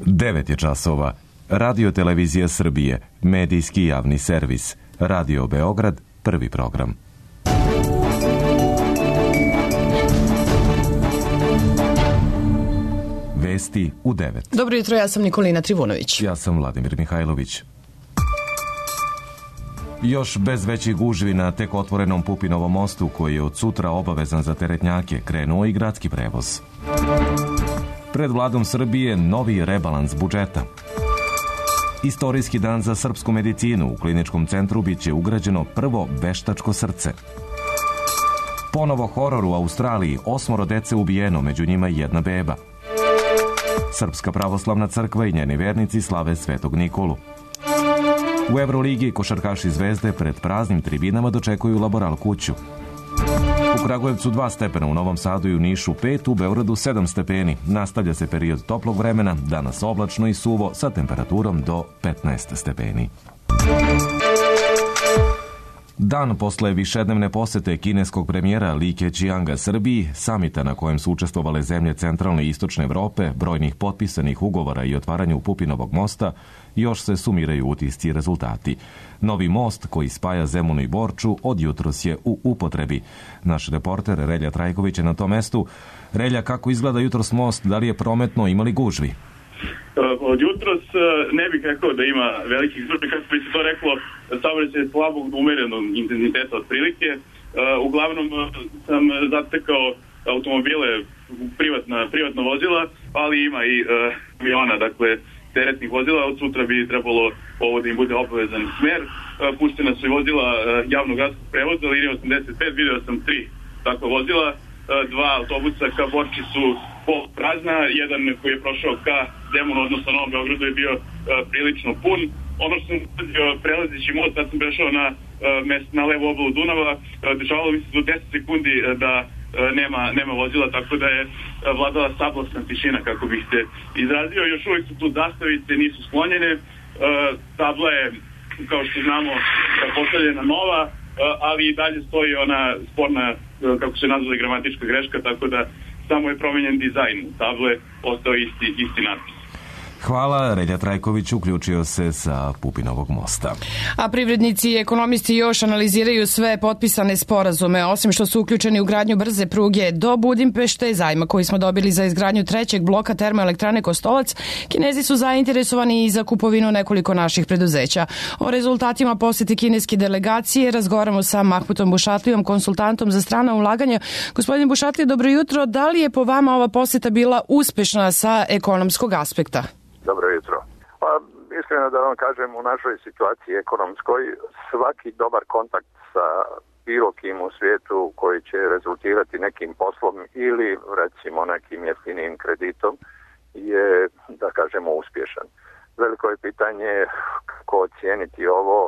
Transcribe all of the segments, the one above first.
9 je časova. Radio Televizija Srbije, medijski javni servis. Radio Beograd, prvi program. Vesti u 9. Dobro jutro, ja sam Nikolina Trivunović. Ja sam Vladimir Mihajlović. Još bez većih gužvi na tek otvorenom Pupinovom mostu, koji je od sutra obavezan za teretnjake, krenuo i gradski prevoz. Pred vladom Srbije novi rebalans budžeta. Istorijski dan za srpsku medicinu. U kliničkom centru biće ugrađeno prvo veštačko srce. Ponovo horor u Australiji, 8 dece ubijeno, među njima i jedna beba. Srpska pravoslavna crkva i njeni vernici slave Svetog Nikolu. U Evroligi košarkaši Zvezde pred praznim tribinama dočekuju Laboral kuću. U Kragujevcu 2 stepena, u Novom Sadu i u Nišu 5, u Beogradu 7 stepeni. Nastavlja se period toplog vremena, danas oblačno i suvo sa temperaturom do 15 stepeni. Dan posle višednevne posete kineskog premijera Li Keqianga Srbiji, samita na kojem su učestvovale zemlje centralne i istočne Evrope, brojnih potpisanih ugovora i otvaranju Pupinovog mosta, još se sumiraju utisci i rezultati. Novi most koji spaja Zemunu i Borču od jutros je u upotrebi. Naš reporter Relja Trajković je na tom mestu. Relja, kako izgleda jutros most? Da li je prometno, ima li gužvi? Od jutros ne bih rekao da ima velikih gužvi, kako bi se to reklo, saobraćaj je slabog umerenog intenziteta otprilike. Uglavnom sam zatekao automobile, privatna vozila, ali ima i kamiona, dakle teretnih vozila. Od sutra bi trebalo ovo da im bude obavezan smer. Puštena su i vozila javnog gradskog prevoza, linija 85, video sam 3 takva vozila. 2 autobusa ka Borči su pol prazna, jedan koji je prošao ka Zemunu, odnosno Novom Beogradu, je bio prilično pun. Ono što sam prelazeći most, sad sam prešao na levu obalu Dunava, dešavalo mi se do 10 sekundi da nema vozila, tako da je vladala sablasna tišina, kako bih se izrazio. Još uvijek su tu zastavice, nisu sklonjene. Tabla je, kao što znamo, postavljena nova, ali i dalje stoji ona sporna, kako se nazvala, gramatička greška, tako da samo je promenjen dizajn table, ostao isti natpis. Hvala, Relja Trajković uključio se sa Pupinovog mosta. A privrednici i ekonomisti još analiziraju sve potpisane sporazume. Osim što su uključeni u gradnju brze pruge do Budimpešte, zajma koji smo dobili za izgradnju trećeg bloka termoelektrane Kostolac, Kinezi su zainteresovani i za kupovinu nekoliko naših preduzeća. O rezultatima posete kineske delegacije razgovaramo sa Mahmutom Bušatlijom, konsultantom za strana ulaganja. Gospodin Bušatlije, dobro jutro. Da li je po vama ova poseta bila uspešna sa ekonomskog aspekta? Dobro jutro. Pa, iskreno da vam kažem, u našoj situaciji ekonomskoj, svaki dobar kontakt sa bilo kim u svijetu koji će rezultirati nekim poslom ili recimo nekim jeftinijim kreditom je, da kažemo, uspješan. Veliko je pitanje kako ocijeniti ovo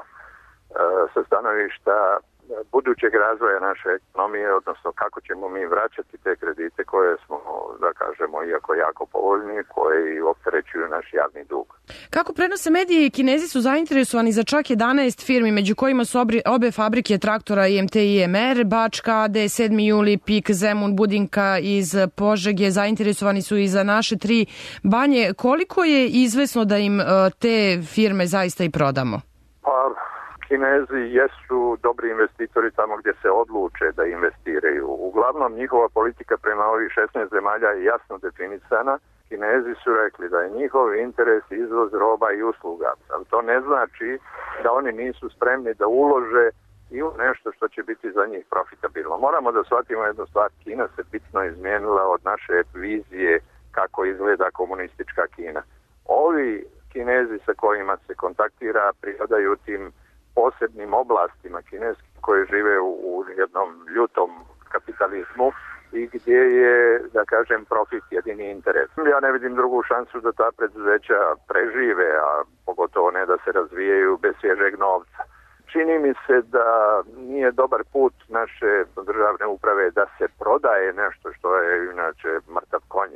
sa stanovišta budućeg razvoja naše ekonomije, odnosno kako ćemo mi vraćati te kredite koje smo, da kažemo, iako jako povoljni, koji opterećuju naš javni dug. Kako prenose mediji, Kinezi su zainteresovani za čak 11 firmi, među kojima su obe fabrike traktora IMT i IMR, Bačka, AD, 7. juli, PIK, Zemun, Budinka iz Požege, zainteresovani su i za naše 3 banje. Koliko je izvesno da im te firme zaista i prodamo? Pa, Kinezi jesu dobri investitori tamo gdje se odluče da investiraju. Uglavnom, njihova politika prema ovih 16 zemalja je jasno definisana. Kinezi su rekli da je njihov interes izvoz roba i usluga. Ali to ne znači da oni nisu spremni da ulože i u nešto što će biti za njih profitabilno. Moramo da shvatimo jednu stvar. Kina se bitno izmijenila od naše vizije kako izgleda komunistička Kina. Ovi Kinezi sa kojima se kontaktira pripadaju tim posebnim oblastima kineskih koje žive u jednom ljutom kapitalizmu i gdje je, da kažem, profit jedini interes. Ja ne vidim drugu šansu da ta preduzeća prežive, a pogotovo ne da se razvijaju bez svježeg novca. Čini mi se da nije dobar put naše državne uprave da se prodaje nešto što je inače mrtav konj,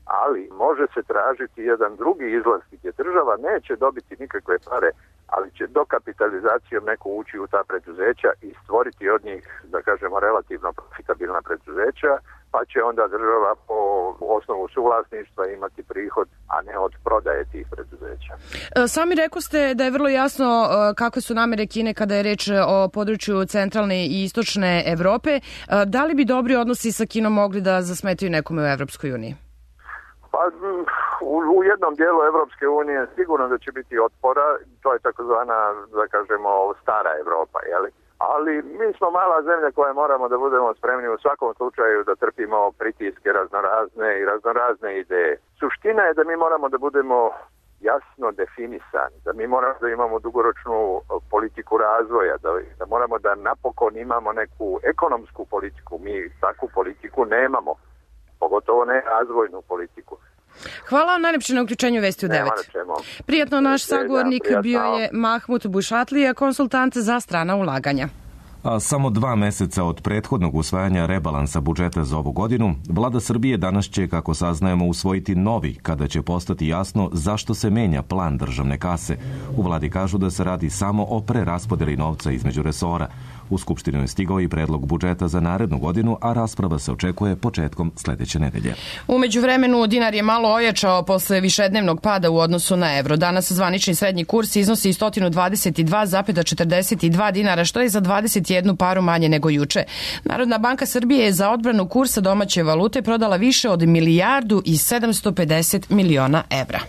ali može se tražiti jedan drugi izlaz gdje država neće dobiti nikakve pare, ali će dokapitalizacijom neko ući u ta preduzeća i stvoriti od njih, da kažemo, relativno profitabilna preduzeća, pa će onda država po osnovu suvlasništva imati prihod, a ne od prodaje tih preduzeća. Sami rekoste da je vrlo jasno kakve su namere Kine kada je reč o području centralne i istočne Evrope. Da li bi dobri odnosi sa Kinom mogli da zasmetaju nekome u Evropskoj uniji? Pa u jednom dijelu Evropske unije sigurno da će biti otpora, to je takozvana, da kažemo, stara Evropa, jeli? Ali mi smo mala zemlja koja moramo da budemo spremni u svakom slučaju da trpimo pritiske raznorazne ideje. Suština je da mi moramo da budemo jasno definisani, da mi moramo da imamo dugoročnu politiku razvoja, da moramo da napokon imamo neku ekonomsku politiku. Mi takvu politiku nemamo, pogotovo ne razvojnu politiku. Hvala vam najlepše na uključenju Vesti u 9. Prijatno, naš sagovornik bio je Mahmut Bušatlija, konsultant za strana ulaganja. A samo 2 meseca od prethodnog usvajanja rebalansa budžeta za ovu godinu, Vlada Srbije danas će, kako saznajemo, usvojiti novi, kada će postati jasno zašto se menja plan državne kase. U Vladi kažu da se radi samo o preraspodeli novca između resora. U Skupštinu je stigao i predlog budžeta za narednu godinu, a rasprava se očekuje početkom sledeće nedelje. U međuvremenu dinar je malo ojačao posle višednevnog pada u odnosu na evro. Danas zvanični srednji kurs iznosi 122,42 dinara, što je za 21 paru manje nego juče. Narodna banka Srbije je za odbranu kursa domaće valute prodala više od 1.750 miliona evra.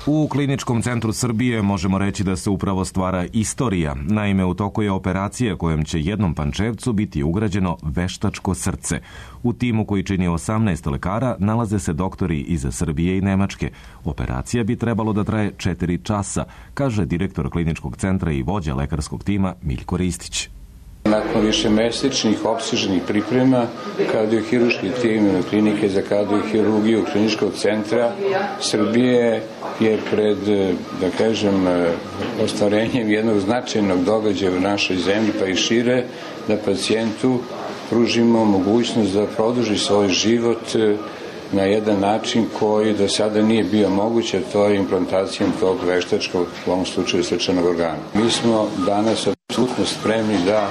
U Kliničkom centru Srbije možemo reći da se upravo stvara istorija. Naime, u toku je operacija kojom će jednom Pančevcu biti ugrađeno veštačko srce. U timu koji čini 18 lekara nalaze se doktori iz Srbije i Nemačke. Operacija bi trebalo da traje 4 časa, kaže direktor Kliničkog centra i vođa lekarskog tima Miljko Ristić. Nakon višemesečnih opsežnih priprema, kardiohirurški tim klinike za kardiohirurgiju Kliničkog centra Srbije je pred, da kažem, ostvarenjem jednog značajnog događaja u našoj zemlji, pa i šire, da pacijentu pružimo mogućnost da produži svoj život na jedan način koji do sada nije bio moguće, to je implantacijom tog veštačkog, u ovom slučaju srčanog organa. Mi smo danas apsolutno spremni da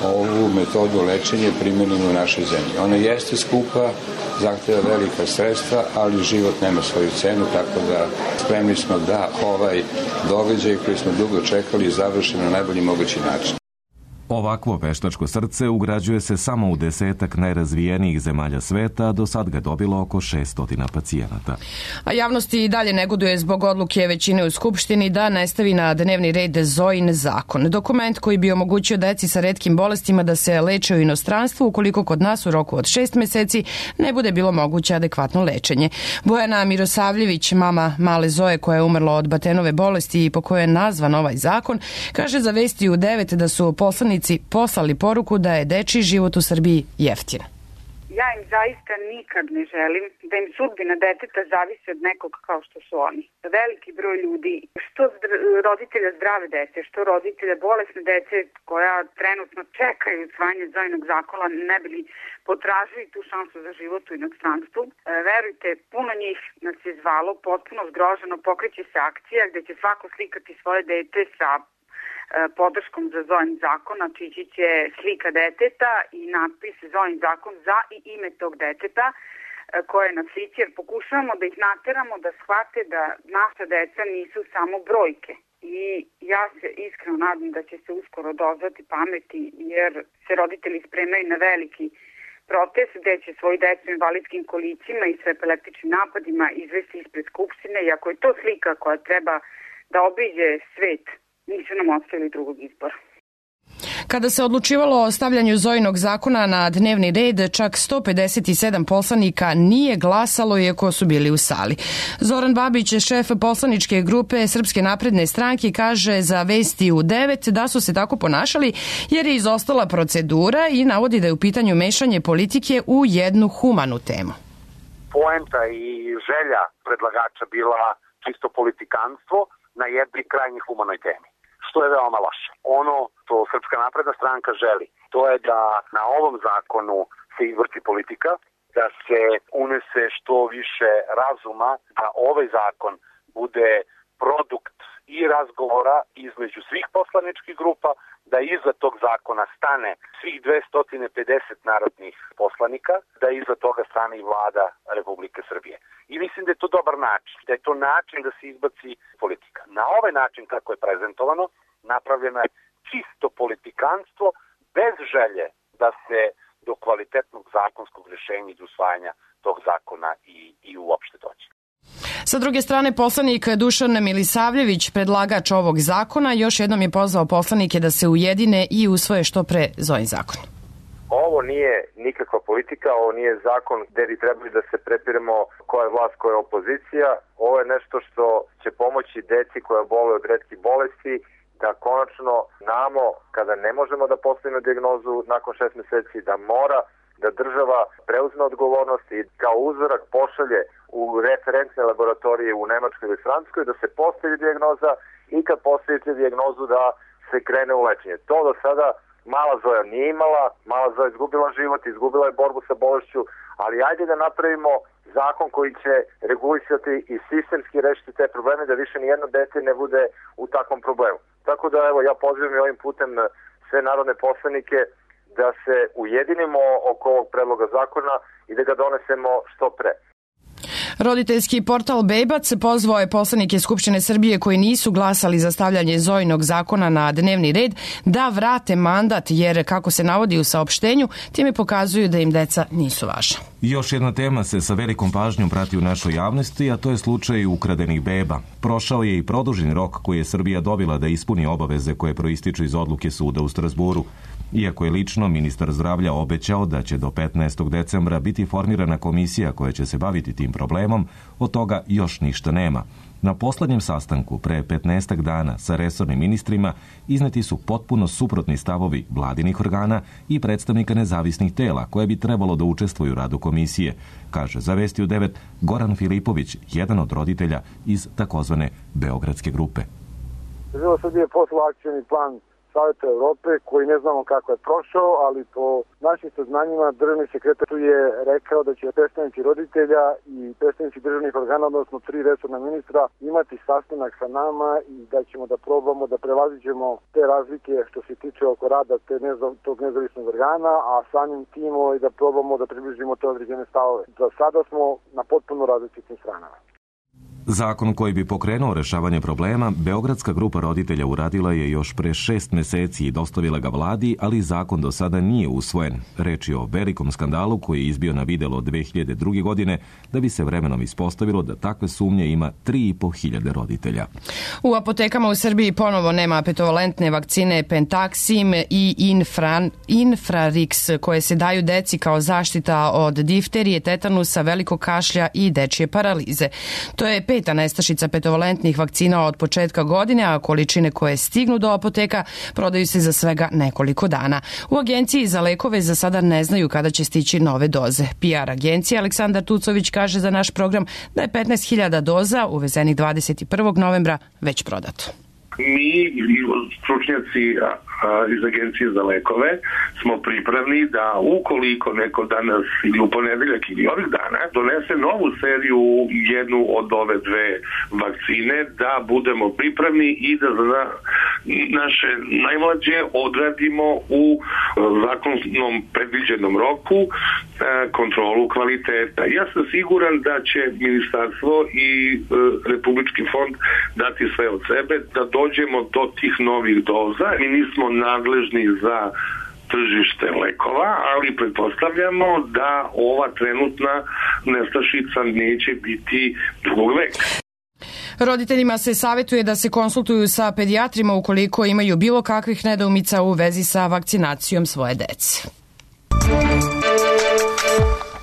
ovu metodu lečenja primenimo u našoj zemlji. Ona jeste skupa, zahteva velika sredstva, ali život nema svoju cenu, tako da spremni smo da ovaj događaj koji smo dugo čekali završimo na najbolji mogući način. Ovakvo veštačko srce ugrađuje se samo u 10 najrazvijenijih zemalja sveta, a do sad ga dobilo oko 600 pacijenata. A javnosti i dalje negoduje zbog odluke većine u Skupštini da ne stavi na dnevni red Zojin zakon. Dokument koji bi omogućio deci sa retkim bolestima da se leče u inostranstvu ukoliko kod nas u roku od 6 meseci ne bude bilo moguće adekvatno lečenje. Bojana Mirosavljević, mama male Zoje koja je umrla od Batenove bolesti i po kojoj je nazvan ovaj zakon, kaže za Vesti u 9 da su poslanici poslali poruku da je dečiji život u Srbiji jeftin. Ja im zaista nikad ne želim da im sudbina deteta zavisi od nekog kao što su oni. Veliki broj ljudi, što roditelja zdrave dece, što roditelja bolesne dece koja trenutno čekaju usvajanje Zojinog zakona, ne bi li potražili tu šansu za život u inostranstvu. Verujte, puno njih nas je zvalo, potpuno zgroženo, pokreće se akcija gde će svako slikati svoje dete sa podrškom za Zojin zakon, znači ići će slika deteta i natpis Zojin zakon za i ime tog deteta koje je na slici, jer pokušavamo da ih nateramo da shvate da naša deca nisu samo brojke. I ja se iskreno nadam da će se uskoro dozvati pameti, jer se roditelji spremaju na veliki protest gde će svoji decu u invalidskim kolicima i sa epileptičnim napadima izvesti ispred Skupštine, i ako je to slika koja treba da obiđe svet, nisu nam ostavili drugog izbora. Kada se odlučivalo o stavljanju Zojinog zakona na dnevni red, čak 157 poslanika nije glasalo iako su bili u sali. Zoran Babić, šef poslaničke grupe Srpske napredne stranke, kaže za Vesti u 9 da su se tako ponašali jer je izostala procedura i navodi da je u pitanju mešanje politike u jednu humanu temu. Poenta i želja predlagača bila čisto politikanstvo na jednoj krajnji humanoj temi, što je veoma loše. Ono što Srpska napredna stranka želi, to je da na ovom zakonu se izvrti politika, da se unese što više razuma, da ovaj zakon bude produkt i razgovora između svih poslaničkih grupa, da iza tog zakona stane svih 250 narodnih poslanika, da iza toga stane i vlada Republike Srbije. I mislim da je to dobar način, da je to način da se izbaci politika. Na ovaj način kako je prezentovano, napravljeno je čisto politikanstvo bez želje da se do kvalitetnog zakonskog rješenja i do usvajanja tog zakona i uopšte dođe. Sa druge strane, poslanik Dušan Milisavljević, predlagač ovog zakona, još jednom je pozvao poslanike da se ujedine i usvoje što pre Zojin zakon. Ovo nije nikakva politika, ovo nije zakon gde bi trebali da se prepiremo koja je vlast, koja je opozicija. Ovo je nešto što će pomoći deci koja bole od retkih bolesti, da konačno znamo kada ne možemo da postavimo dijagnozu nakon 6 meseci, da mora da država preuzme odgovornost i kao uzorak pošalje u referentne laboratorije u Nemačkoj ili Francuskoj, da se postavi dijagnoza i kad postavite dijagnozu da se krene u lečenje. To do sada mala Zoja nije imala, mala Zoja izgubila život, izgubila je borbu sa bolešću, ali ajde da napravimo zakon koji će regulisati i sistemski rešiti te probleme, da više nijedno dete ne bude u takvom problemu. Tako da evo, ja pozivam i ovim putem sve narodne poslanike da se ujedinimo oko ovog predloga zakona i da ga donesemo što pre. Roditeljski portal Bebac pozvao je poslanike Skupštine Srbije koji nisu glasali za stavljanje Zojinog zakona na dnevni red da vrate mandat, jer kako se navodi u saopštenju, time pokazuju da im deca nisu važna. Još jedna tema se sa velikom pažnjom prati u našoj javnosti, a to je slučaj ukradenih beba. Prošao je i produžen rok koji je Srbija dobila da ispuni obaveze koje proističu iz odluke suda u Strazburu. Iako je lično ministar zdravlja obećao da će do 15. decembra biti formirana komisija koja će se baviti tim problemom, od toga još ništa nema. Na poslednjem sastanku pre 15 dana sa resornim ministrima izneti su potpuno suprotni stavovi vladinih organa i predstavnika nezavisnih tela koje bi trebalo da učestvuju u radu komisije, kaže za Vesti u 9 Goran Filipović, jedan od roditelja iz takozvane Beogradske grupe. Država Srbije je poslala akcioni plan Saveta Evrope, koji ne znamo kako je prošao, ali po našim saznanjima državni sekretar je rekao da će predstavnici roditelja i predstavnici državnih organa, odnosno 3 resorna ministra, imati sastanak sa nama i da ćemo da probamo da prevaziđemo te razlike što se tiče oko rada tog nezavisnog organa, a samim tim da probamo da približimo te određene stavove. Za sada smo na potpuno različitim stranama. Zakon koji bi pokrenuo rešavanje problema, Beogradska grupa roditelja uradila je još pre 6 meseci i dostavila ga vladi, ali zakon do sada nije usvojen. Reč je o velikom skandalu koji je izbio na videlo od 2002. godine, da bi se vremenom ispostavilo da takve sumnje ima 3.500 roditelja. U apotekama u Srbiji ponovo nema petovalentne vakcine Pentaxim i Infrarix koje se daju deci kao zaštita od difterije, tetanusa, velikog kašlja i dečije paralize. To je 5. nestašica petovalentnih vakcina od početka godine, a količine koje stignu do apoteka prodaju se za svega nekoliko dana. U Agenciji za lekove za sada ne znaju kada će stići nove doze. PR agencija Aleksandar Tucović kaže za naš program da je 15.000 doza uvezenih 21. novembra već prodato. Mi, stručnjaci iz Agencije za lekove, smo pripravni da ukoliko neko danas ili u ponedeljak ili ovih dana donese novu seriju, jednu od ove dve vakcine, da budemo pripravni i da za naše najmlađe odradimo u zakonom predviđenom roku kontrolu kvaliteta. Ja sam siguran da će ministarstvo i Republički fond dati sve od sebe da dođemo do tih novih doza. Mi nismo nadležni za tržište lekova, ali pretpostavljamo da ova trenutna nestašica neće biti drugog veka. Roditeljima se savjetuje da se konsultuju sa pedijatrima ukoliko imaju bilo kakvih nedoumica u vezi sa vakcinacijom svoje dece.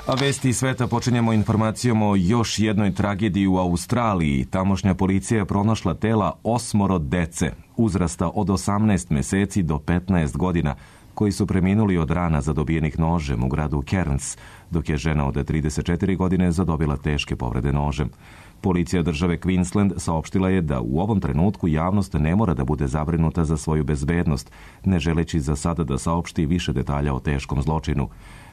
A vesti sveta počinjemo informacijom o još jednoj tragediji u Australiji. Tamošnja policija je pronašla tela 8 dece, uzrasta od 18 meseci do 15 godina, koji su preminuli od rana zadobijenih nožem u gradu Cairns, dok je žena od 34 godine zadobila teške povrede nožem. Policija države Queensland saopštila je da u ovom trenutku javnost ne mora da bude zabrinuta za svoju bezbednost, ne želeći za sada da saopšti više detalja o teškom zločinu.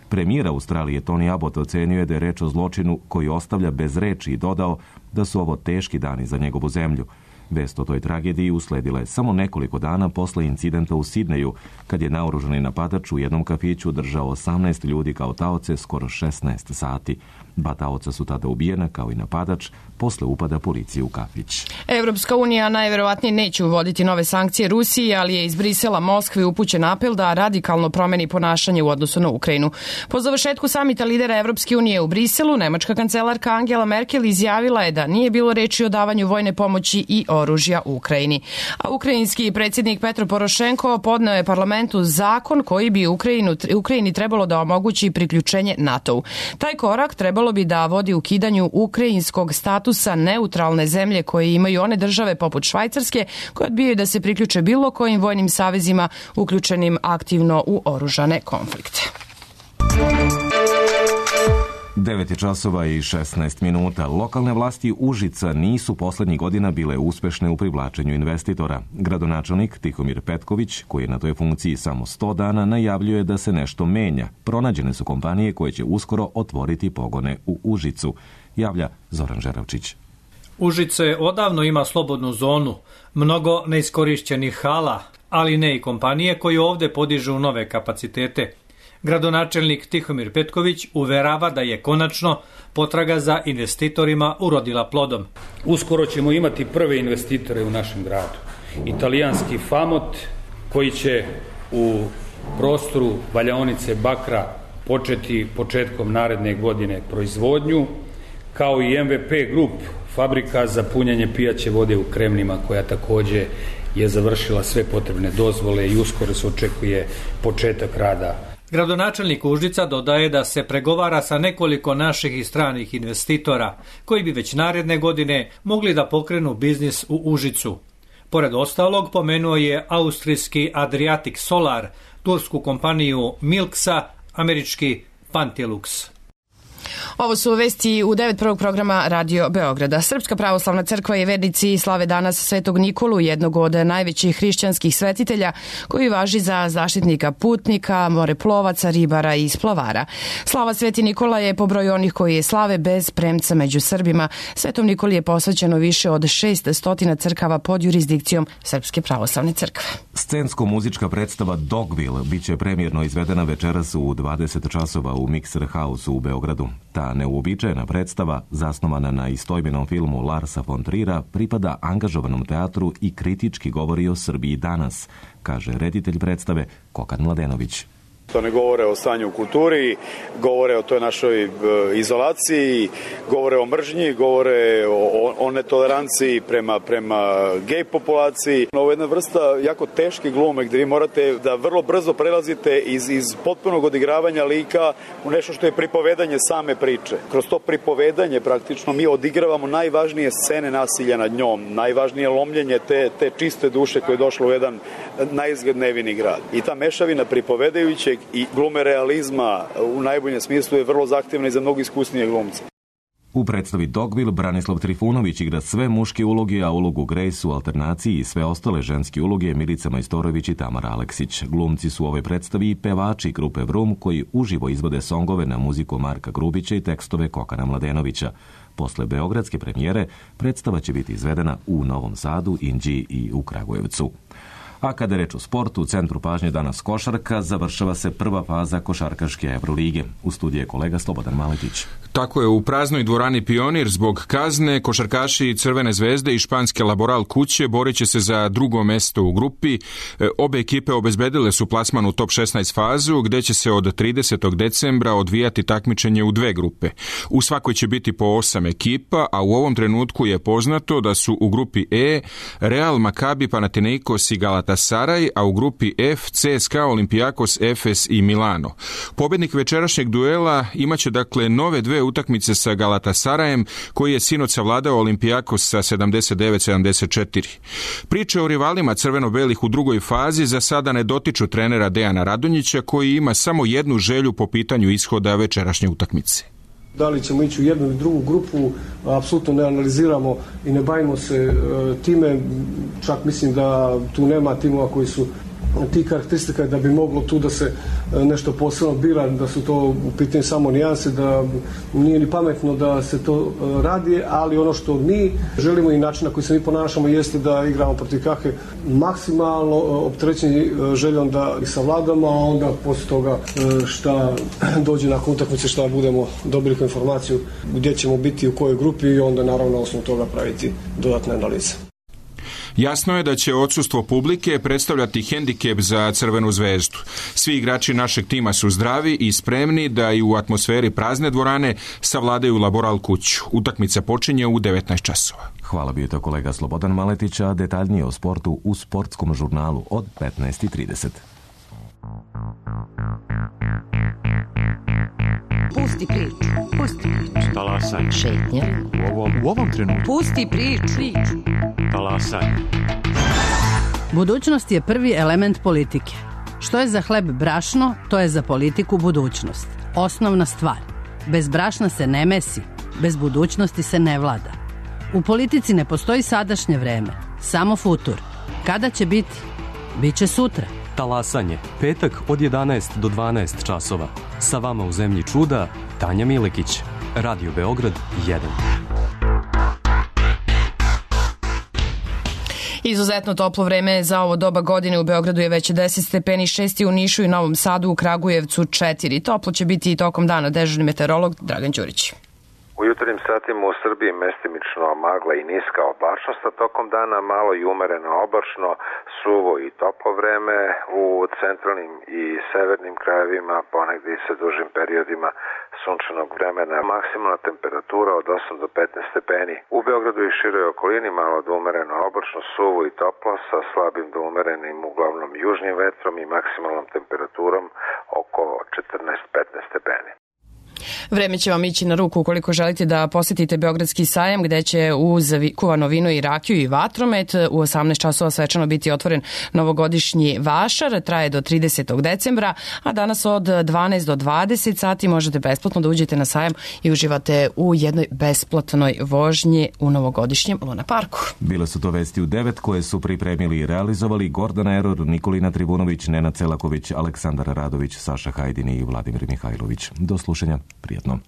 Premijer Australije Tony Abbott ocenio je da je reč o zločinu koji ostavlja bez reči i dodao da su ovo teški dani za njegovu zemlju. Vest o toj tragediji usledila je samo nekoliko dana posle incidenta u Sidneju, kad je naoružani napadač u jednom kafiću držao 18 ljudi kao taoce skoro 16 sati. 2 taoca su tada ubijena, kao i napadač, posle upada policije u kafić. Evropska unija najverovatnije neće uvoditi nove sankcije Rusiji, ali je iz Brisela Moskvi upućen apel da radikalno promeni ponašanje u odnosu na Ukrajinu. Po završetku samita lidera Evropske unije u Briselu, nemačka kancelarka Angela Merkel izjavila je da nije bilo reči o davanju vojne pomoći i oružja Ukrajini. A ukrajinski predsjednik Petro Porošenko podneo je parlamentu zakon koji bi Ukrajini trebalo da omogući priključenje NATO-u. Taj korak trebalo bi da vodi ukidanju ukrajinskog statusa neutralne zemlje koje imaju one države poput Švajcarske koje odbijaju da se priključe bilo kojim vojnim savezima uključenim aktivno u oružane konflikte. 9 časova i 16 minuta. Lokalne vlasti Užica nisu poslednjih godina bile uspešne u privlačenju investitora. Gradonačelnik Tihomir Petković, koji je na toj funkciji samo 100 dana, najavljuje da se nešto menja. Pronađene su kompanije koje će uskoro otvoriti pogone u Užicu, javlja Zoran Žeravčić. Užice odavno ima slobodnu zonu, mnogo neiskorišćenih hala, ali ne i kompanije koje ovde podižu nove kapacitete. Gradonačelnik Tihomir Petković uverava da je konačno potraga za investitorima urodila plodom. Uskoro ćemo imati prve investitore u našem gradu. Italijanski Famot koji će u prostoru valjaonice bakra početi početkom naredne godine proizvodnju, kao i MVP Group, fabrika za punjanje pijaće vode u Kremnima, koja takođe je završila sve potrebne dozvole i uskoro se očekuje početak rada. Gradonačelnik Užica dodaje da se pregovara sa nekoliko naših i stranih investitora, koji bi već naredne godine mogli da pokrenu biznis u Užicu. Pored ostalog, pomenuo je austrijski Adriatic Solar, tursku kompaniju Milksa, američki Pantelux. Ovo su vesti u 9 prvog programa Radio Beograda. Srpska pravoslavna crkva i vernici slave danas Svetog Nikolu, jednog od najvećih hrišćanskih svetitelja, koji važi za zaštitnika putnika, moreplovaca, ribara i splavara. Slava Sveti Nikola je po broju onih koji je slave bez premca među Srbima. Svetom Nikoli je posvećeno više od 600 crkava pod jurisdikcijom Srpske pravoslavne crkve. Scensko-muzička predstava Dogville biće premijerno izvedena večeras u 20 časova u Mixer House u Beogradu. Ta neuobičajena predstava, zasnovana na istoimenom filmu Larsa von Trira, pripada angažovanom teatru i kritički govori o Srbiji danas, kaže reditelj predstave Kokan Mladenović. To ne govore o stanju u kulturi, govore o toj našoj izolaciji, govore o mržnji, govore o netoleranciji prema gej populaciji. Ovo je jedna vrsta jako teške glume gde vi morate da vrlo brzo prelazite iz potpunog odigravanja lika u nešto što je pripovedanje same priče. Kroz to pripovedanje praktično mi odigravamo najvažnije scene nasilja nad njom, najvažnije lomljenje te čiste duše koje je došlo u jedan naizgled nevini grad. I ta mešavina pripovedajućeg i glume realizma u najboljem smislu je vrlo zahtevna i za mnogo iskusnije glumce. U predstavi Dogville Branislav Trifunović igra sve muške uloge, a ulogu Grace u alternaciji i sve ostale ženske uloge Milica Majstorović i Tamara Aleksić. Glumci su u ovoj predstavi i pevači grupe Vrum koji uživo izvode songove na muziku Marka Grubića i tekstove Kokana Mladenovića. Posle beogradske premijere predstava će biti izvedena u Novom Sadu, Inđiji i u Kragujevcu. A kada je reč o sportu, u centru pažnje danas košarka, završava se prva faza košarkaške Evrolige. U studiju je kolega Slobodan Maletić. Tako je, u praznoj dvorani Pionir zbog kazne košarkaši Crvene zvezde i španske Laboral kuće borit će se za drugo mesto u grupi. Obe ekipe obezbedile su plasman u top 16 fazu, gde će se od 30. decembra odvijati takmičenje u dve grupe. U svakoj će biti po 8 ekipa, a u ovom trenutku je poznato da su u grupi E Real, Makabi, Panathinaikos i Galatasaray, a u grupi F CSKA, Olympiakos, Efes i Milano. Pobednik večerašnjeg duela imaće dakle nove dve utakmice sa Galatasarajem, koji je sinoć savladao Olympiakos sa 79-74. Priče o rivalima crveno-belih u drugoj fazi za sada ne dotiču trenera Dejana Radonjića, koji ima samo jednu želju po pitanju ishoda večerašnje utakmice. Da li ćemo ići u jednu ili drugu grupu, apsolutno ne analiziramo i ne bavimo se time. Čak mislim da tu nema timova koji su tih karakteristika da bi moglo tu da se nešto posebno bira, da su to u pitanju samo nijanse, da nije ni pametno da se to radi, ali ono što mi želimo i način na koji se mi ponašamo jeste da igramo protiv Kahe maksimalno opterećeni željom da ih savladamo, a onda posle toga šta dođe nakon utakmice, šta budemo dobili kao informaciju gdje ćemo biti, u kojoj grupi i onda naravno na osnovu toga praviti dodatne analize. Jasno je da će odsustvo publike predstavljati hendikep za Crvenu zvezdu. Svi igrači našeg tima su zdravi i spremni da i u atmosferi prazne dvorane savladaju Laboral kuću. Utakmica počinje u 19 časova. Hvala, bio to kolega Slobodan Maletić, a detaljnije o sportu u sportskom žurnalu od 15:30. Pusti priču. Pusti priču. Talasaj. Šetnja. U ovom trenutku. Pusti priču. Talasaj. Budućnost je prvi element politike. Što je za hleb brašno, to je za politiku budućnost. Osnovna stvar. Bez brašna se ne mesi, bez budućnosti se ne vlada. U politici ne postoji sadašnje vreme, samo futur. Kada će biti? Biće sutra. Talasanje, petak od 11 do 12 časova. Sa vama u zemlji čuda, Tanja Milekić. Radio Beograd 1. Izuzetno toplo vreme za ovo doba godine. U Beogradu je već 10 stepeni, 6 u Nišu i Novom Sadu, u Kragujevcu 4. Toplo će biti i tokom dana. Dežurni meteorolog Dragan Đurić. U jutarnjim satima u Srbiji mestimično magla i niska oblačnost, a tokom dana malo i umereno oblačno, suvo i toplo vreme. U centralnim i severnim krajevima ponegdje i sa dužim periodima sunčanog vremena. Maksimalna temperatura od 8 do 15 stepeni. U Beogradu i široj okolini malo do umereno oblačno, suvo i toplo sa slabim do umerenim uglavnom južnim vetrom i maksimalnom temperaturom oko 14-15 stepeni. Vreme će vam ići na ruku ukoliko želite da posjetite Beogradski sajam, gde će uz kuvano vino i rakiju i vatromet u 18 časova svečano biti otvoren novogodišnji vašar. Traje do 30. decembra, a danas od 12 do 20 sati možete besplatno da uđete na sajam i uživate u jednoj besplatnoj vožnji u novogodišnjem Luna parku. Bile su to vesti u 9 koje su pripremili i realizovali Gordana Eror, Nikolina Tribunović, Nenad Celaković, Aleksandar Radović, Saša Hajdini i Vladimir Mihajlović. Do slušanja. Prijetno.